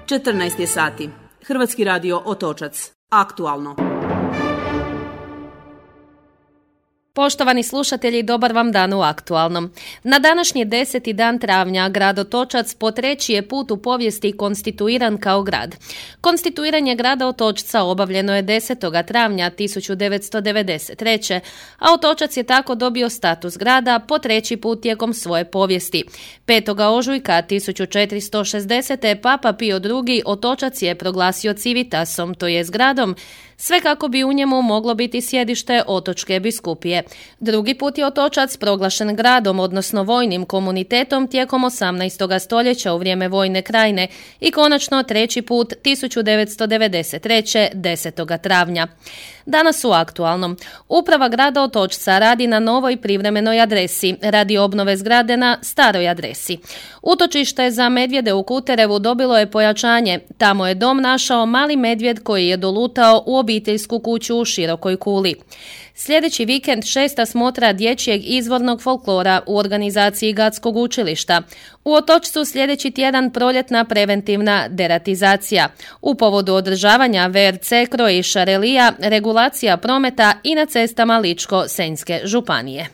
14 je sati. Hrvatski radio Otočac. Aktualno. Poštovani slušatelji, dobar vam dan u Aktualnom. Na današnji 10. dan travnja grad Otočac po treći je put u povijesti konstituiran kao grad. Konstituiranje grada Otočca obavljeno je 10. travnja 1993. a Otočac je tako dobio status grada po treći put tijekom svoje povijesti. 5. ožujka 1460. Papa Pio II. Otočac je proglasio civitasom, to jest gradom, sve kako bi u njemu moglo biti sjedište Otočke biskupije. Drugi put je Otočac proglašen gradom, odnosno vojnim komunitetom tijekom 18. stoljeća u vrijeme vojne krajine i konačno treći put 1993. 10. travnja. Danas u Aktualnom. Uprava grada Otočca radi na novoj privremenoj adresi, radi obnove zgrade na staroj adresi. Utočište za medvjede u Kuterevu dobilo je pojačanje. Tamo je dom našao mali medvjed koji je dolutao u obiteljsku kuću u Širokoj Kuli. Sljedeći vikend 6. smotra dječjeg izvornog folklora u organizaciji Gatskog učilišta. U Otočcu sljedeći tjedan proljetna preventivna deratizacija. U povodu održavanja VRC Krojiša relija, regulacija prometa i na cestama Ličko-Senjske županije.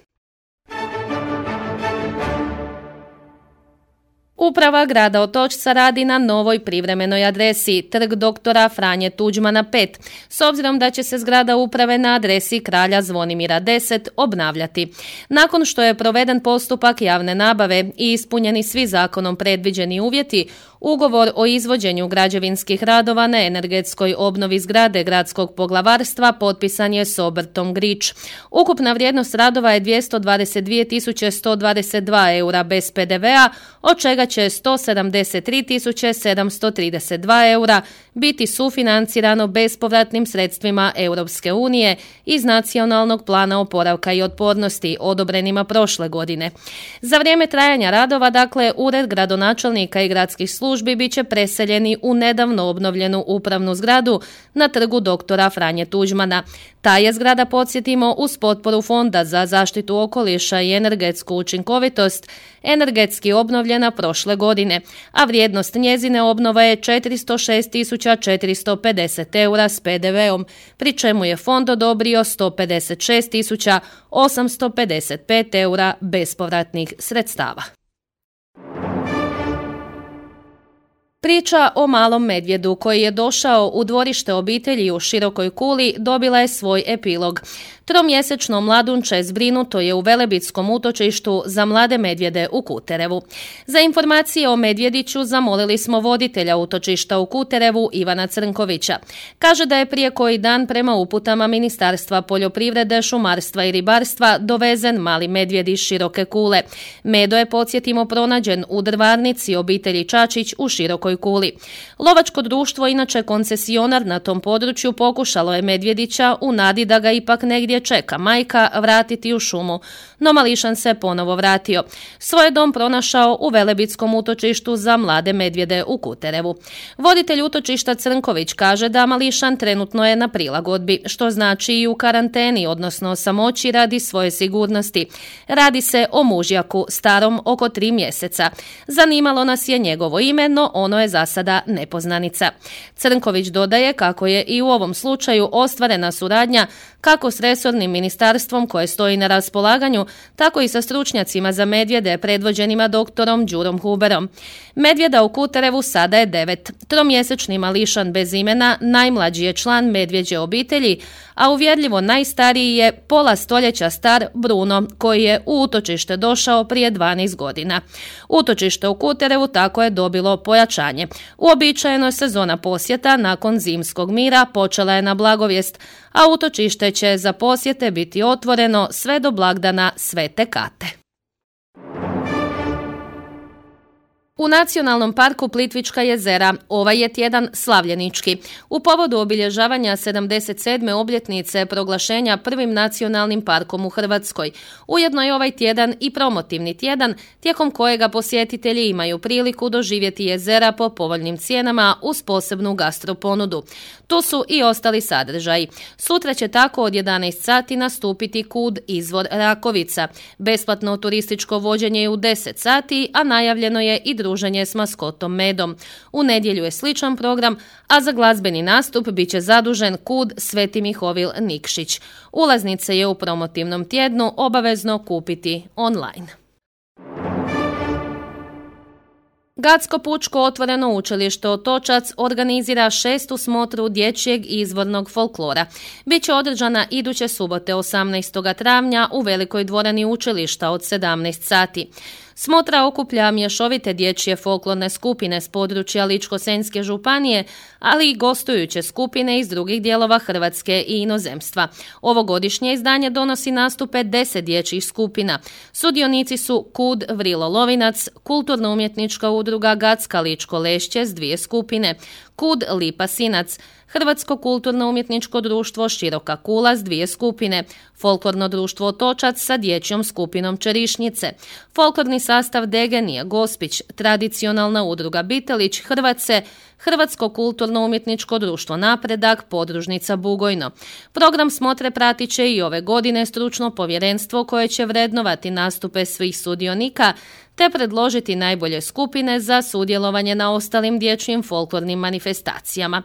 Uprava grada Otočca radi na novoj privremenoj adresi, trg doktora Franje Tuđmana 5, s obzirom da će se zgrada uprave na adresi Kralja Zvonimira 10 obnavljati. Nakon što je proveden postupak javne nabave i ispunjeni svi zakonom predviđeni uvjeti, ugovor o izvođenju građevinskih radova na energetskoj obnovi zgrade gradskog poglavarstva potpisan je s obrtom Grič. Ukupna vrijednost radova je 222.122 eura bez PDV-a, od čega će 173.732 eura biti sufinancirano bespovratnim sredstvima Europske unije iz Nacionalnog plana oporavka i otpornosti odobrenima prošle godine. Za vrijeme trajanja radova, dakle, ured gradonačelnika i gradskih službi bit će preseljeni u nedavno obnovljenu upravnu zgradu na trgu doktora Franje Tuđmana. Ta je zgrada, podsjetimo, uz potporu Fonda za zaštitu okoliša i energetsku učinkovitost energetski obnovljena prošle godine, a vrijednost njezine obnove je 406.450 eura s PDV-om, pri čemu je fond odobrio 156.855 eura bespovratnih sredstava. Priča o malom medvjedu koji je došao u dvorište obitelji u Širokoj Kuli dobila je svoj epilog. Tromjesečno mladunče zbrinuto je u velebitskom utočištu za mlade medvjede u Kuterevu. Za informacije o medvjediću zamolili smo voditelja utočišta u Kuterevu Ivana Crnkovića. Kaže da je prije koji dan prema uputama Ministarstva poljoprivrede, šumarstva i ribarstva dovezen mali medvjed iz Široke Kule. Medo je, podsjetimo, pronađen u drvarnici obitelji Čačić u Širokoj Kuli. Lovačko društvo, inače koncesionar na tom području, pokušalo je medvjedića u nadi da ga ipak negdje čeka majka vratiti u šumu, no mališan se ponovo vratio. Svoj dom pronašao u velebitskom utočištu za mlade medvjede u Kuterevu. Voditelj utočišta Crnković kaže da mališan trenutno je na prilagodbi, što znači i u karanteni, odnosno samoći radi svoje sigurnosti. Radi se o mužjaku starom oko 3 mjeseca. Zanimalo nas je njegovo ime, no ono je za sada nepoznanica. Crnković dodaje kako je i u ovom slučaju ostvarena suradnja kako s resornim ministarstvom koje stoji na raspolaganju, tako i sa stručnjacima za medvjede predvođenima doktorom Đurom Huberom. Medvjeda u Kuterevu sada je 9. Tromjesečni mališan bez imena najmlađi je član medvjeđe obitelji, a uvjerljivo najstariji je pola stoljeća star Bruno, koji je u utočište došao prije 12 godina. Utočište u Kuterevu tako je dobilo pojačanje. Uobičajeno sezona posjeta nakon zimskog mira počela je na Blagovijest, a utočište će za posjete biti otvoreno sve do blagdana Svete Kate. U Nacionalnom parku Plitvička jezera ovaj je tjedan slavljenički. U povodu obilježavanja 77. obljetnice proglašenja prvim nacionalnim parkom u Hrvatskoj. Ujedno je ovaj tjedan i promotivni tjedan, tijekom kojega posjetitelji imaju priliku doživjeti jezera po povoljnim cijenama uz posebnu gastroponudu. Tu su i ostali sadržaji. Sutra će tako od 11 sati nastupiti KUD Izvor Rakovica. Besplatno turističko vođenje je u 10 sati, a najavljeno je i druženje druženje s maskotom Medom. U nedjelju je sličan program, a za glazbeni nastup bit će zadužen KUD Sveti Mihovil Nikšić. Ulaznice je u promotivnom tjednu obavezno kupiti online. Gradsko pučko otvoreno učilište Otočac organizira 6. smotru dječjeg izvornog folklora. Biće održana iduće subote 18. travnja u velikoj dvorani učilišta od 17 sati. Smotra okuplja mješovite dječje folklorne skupine s područja Ličko-senjske županije, ali i gostujuće skupine iz drugih dijelova Hrvatske i inozemstva. Ovogodišnje izdanje donosi nastupe 10 dječjih skupina. Sudionici su KUD Vrilo Lovinac, Kulturno-umjetnička udruga Gacka Ličko Lešće s 2 skupine, KUD Lipa Sinac, Hrvatsko kulturno-umjetničko društvo Široka Kula s 2 skupine, Folklorno društvo Otočac sa dječjom skupinom Čerišnjice, folklorni sastav Degenija Gospić, Tradicionalna udruga Bitelić Hrvatce, Hrvatsko kulturno-umjetničko društvo Napredak, podružnica Bugojno. Program smotre pratit će i ove godine stručno povjerenstvo koje će vrednovati nastupe svih sudionika te predložiti najbolje skupine za sudjelovanje na ostalim dječjim folklornim manifestacijama.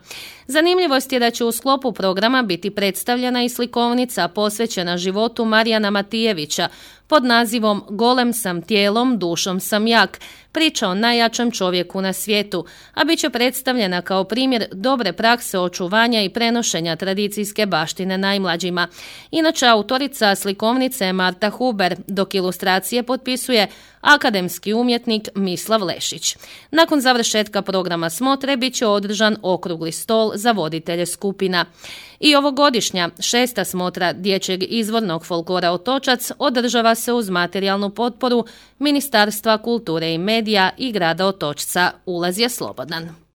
Zanimljivost je da će u sklopu programa biti predstavljena i slikovnica posvećena životu Marijana Matijevića pod nazivom Golem sam tijelom, dušom sam jak, priča o najjačem čovjeku na svijetu, a bit će predstavljena kao primjer dobre prakse očuvanja i prenošenja tradicijske baštine najmlađima. Inače, autorica slikovnice je Marta Huber, dok ilustracije potpisuje akademski umjetnik Mislav Lešić. Nakon završetka programa smotre bit će održan okrugli stol za voditelje skupina. I ovogodišnja 6. smotra dječjeg izvornog folklora Otočac održava se uz materijalnu potporu Ministarstva kulture i medija i grada Otočca. Ulaz je slobodan.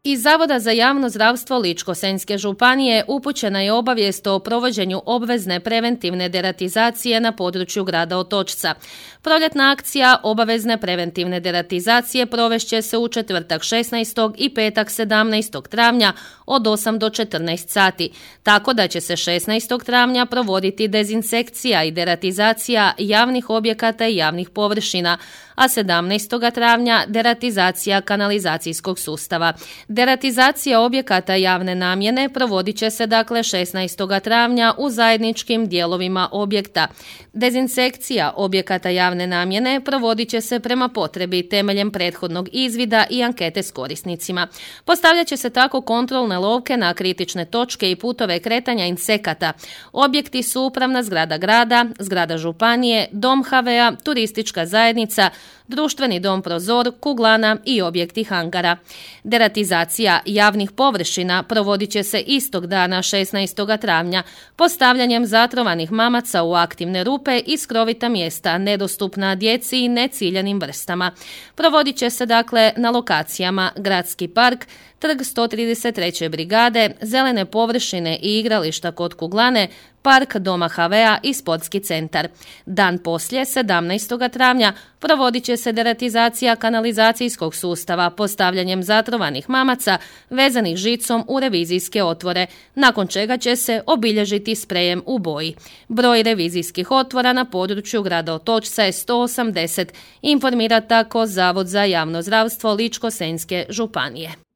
Iz Zavoda za javno zdravstvo Ličko-senjske županije upućena je obavijest o provođenju obvezne preventivne deratizacije na području grada Otočca. Proljetna akcija obavezne preventivne deratizacije provešće se u četvrtak 16. i petak 17. travnja od 8 do 14 sati, tako da će se 16. travnja provoditi dezinsekcija i deratizacija javnih objekata i javnih površina, a 17. travnja deratizacija kanalizacijskog sustava. Deratizacija objekata javne namjene provodit će se dakle 16. travnja u zajedničkim dijelovima objekta. Dezinsekcija objekata javne namjene provodit će se prema potrebi temeljem prethodnog izvida i ankete s korisnicima. Postavljat će se tako kontrolne lovke na kritične točke i putove kretanja insekata. Objekti su upravna zgrada grada, zgrada županije, dom HV-a, turistička zajednica, društveni dom Prozor, kuglana i objekti hangara. Deratizacija javnih površina provodit će se istog dana 16. travnja postavljanjem zatrovanih mamaca u aktivne rupe i skrovita mjesta nedostupna djeci i neciljanim vrstama. Provodit će se dakle na lokacijama Gradski park, Trg 133. brigade, zelene površine i igrališta kod kuglane, park doma HV-a i sportski centar. Dan poslije, 17. travnja, provodit će se deratizacija kanalizacijskog sustava postavljanjem zatrovanih mamaca vezanih žicom u revizijske otvore, nakon čega će se obilježiti sprejem u boji. Broj revizijskih otvora na području grada Otočca je 180, informira tako Zavod za javno zdravstvo Ličko-senjske županije.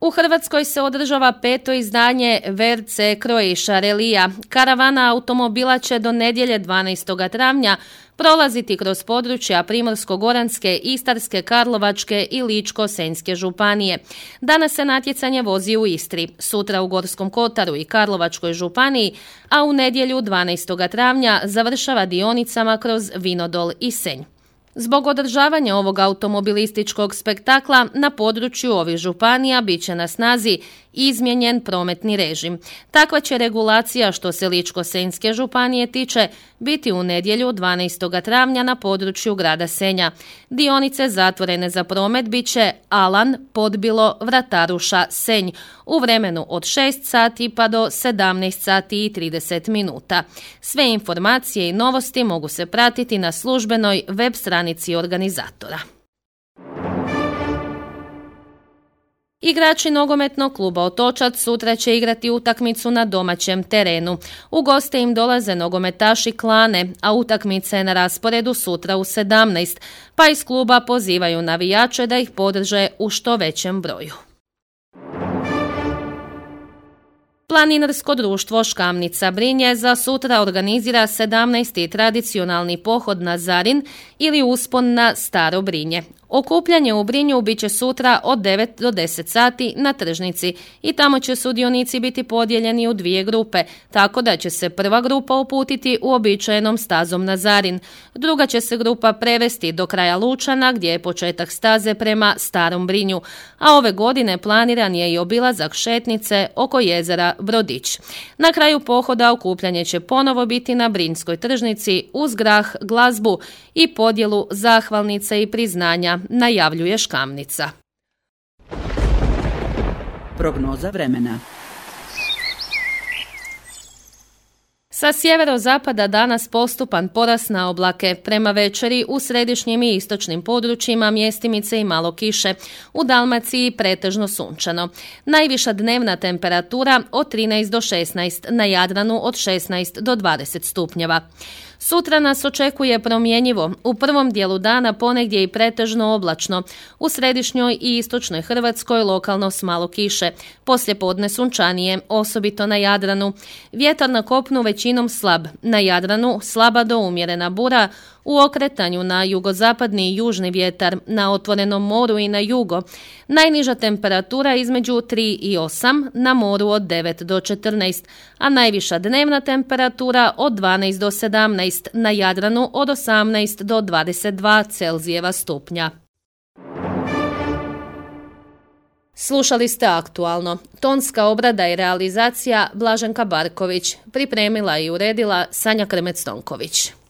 U Hrvatskoj se održava 5. izdanje VRC Croatia Relija. Karavana automobila će do nedjelje 12. travnja prolaziti kroz područja Primorsko-goranske, Istarske, Karlovačke i Ličko-senjske županije. Danas se natjecanje vozi u Istri, sutra u Gorskom kotaru i Karlovačkoj županiji, a u nedjelju 12. travnja završava dionicama kroz Vinodol i Senj. Zbog održavanja ovog automobilističkog spektakla na području ovih županija bit će na snazi izmijenjen prometni režim. Takva će regulacija što se Ličko-senjske županije tiče biti u nedjelju 12. travnja na području grada Senja. Dionice zatvorene za promet bit će Alan, Podbilo, Vrataruša, Senj u vremenu od 6 sati pa do 17 sati i 30 minuta. Sve informacije i novosti mogu se pratiti na službenoj web stranici organizatora. Igrači nogometnog kluba Otočac sutra će igrati utakmicu na domaćem terenu. U goste im dolaze nogometaši Klane, a utakmica je na rasporedu sutra u 17, pa iz kluba pozivaju navijače da ih podrže u što većem broju. Planinarsko društvo Škamnica Brinje za sutra organizira 17. tradicionalni pohod na Zarin ili uspon na Staro Brinje. Okupljanje u Brinju bit će sutra od 9 do 10 sati na tržnici i tamo će sudionici biti podijeljeni u dvije grupe, tako da će se prva grupa uputiti uobičajenom stazom na Zarin. Druga će se grupa prevesti do kraja Lučana gdje je početak staze prema Starom Brinju, a ove godine planiran je i obilazak šetnice oko jezera Brodić. Na kraju pohoda okupljanje će ponovo biti na Brinjskoj tržnici uz grah, glazbu i podjelu zahvalnice i priznanja, najavljuje Škamnica. Prognoza vremena. Sa sjeverozapada danas postupan porast na oblake. Prema večeri u središnjim i istočnim područjima mjestimice i malo kiše. U Dalmaciji pretežno sunčano. Najviša dnevna temperatura od 13 do 16, na Jadranu od 16 do 20 stupnjeva. Sutra nas očekuje promjenjivo. U prvom dijelu dana ponegdje i pretežno oblačno. U središnjoj i istočnoj Hrvatskoj lokalno s malo kiše. Poslijepodne sunčanije, osobito na Jadranu. Vjetar na kopnu većinom slab. Na Jadranu slaba do umjerena bura. U okretanju na jugozapadni i južni vjetar, na otvorenom moru i na jugo. Najniža temperatura između 3 i 8, na moru od 9 do 14, a najviša dnevna temperatura od 12 do 17, na Jadranu od 18 do 22 Celzijeva stupnja. Slušali ste Aktualno. Tonska obrada i realizacija Blaženka Barković. Pripremila i uredila Sanja Krmec-Tonković.